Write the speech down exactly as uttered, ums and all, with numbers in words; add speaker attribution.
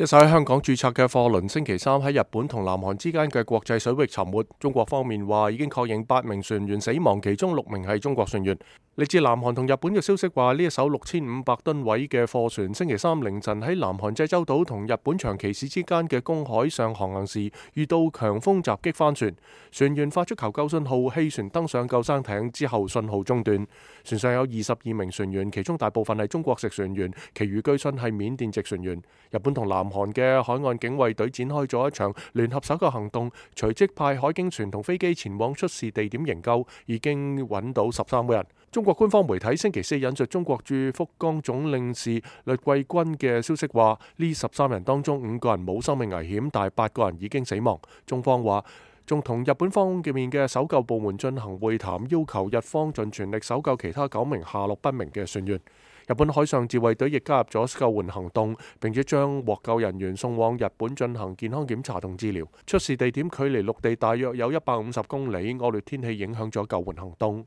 Speaker 1: 一艘喺香港註冊嘅貨輪星期三喺日本同南韓之間嘅國際水域沉沒。中國方面話已經確認八名船員死亡，其中六名係中國船員。嚟自南韓同日本嘅消息話，呢一艘六千五百噸位嘅貨船星期三凌晨喺南韓濟州島同日本長崎市之間嘅公海上航行時，遇到強風襲擊翻船，船員發出求救信號，棄船登上救生艇之後信號中斷。船上有二十二名船員，其中大部分係中國籍船員，其餘據信係緬甸籍船員。日本同南韓嘅海岸警衛隊展開咗一場聯合搜救行動，隨即派海警船同飛機前往出事地點營救，已經揾到十三個人。中國官方媒體星期四引述中國駐福岡總領事栗桂軍嘅消息話，呢十三人當中五個人冇生命危險，但係八個人已經死亡。中方話仲同日本方面嘅搜救部門進行會談，要求日方盡全力搜救其他九名下落不明嘅船員。日本海上自衛隊亦加入咗救援行動，並且將獲救人員送往日本進行健康檢查同治療。出事地點距離陸地大約有一百五十公里，惡劣天氣影響咗救援行動。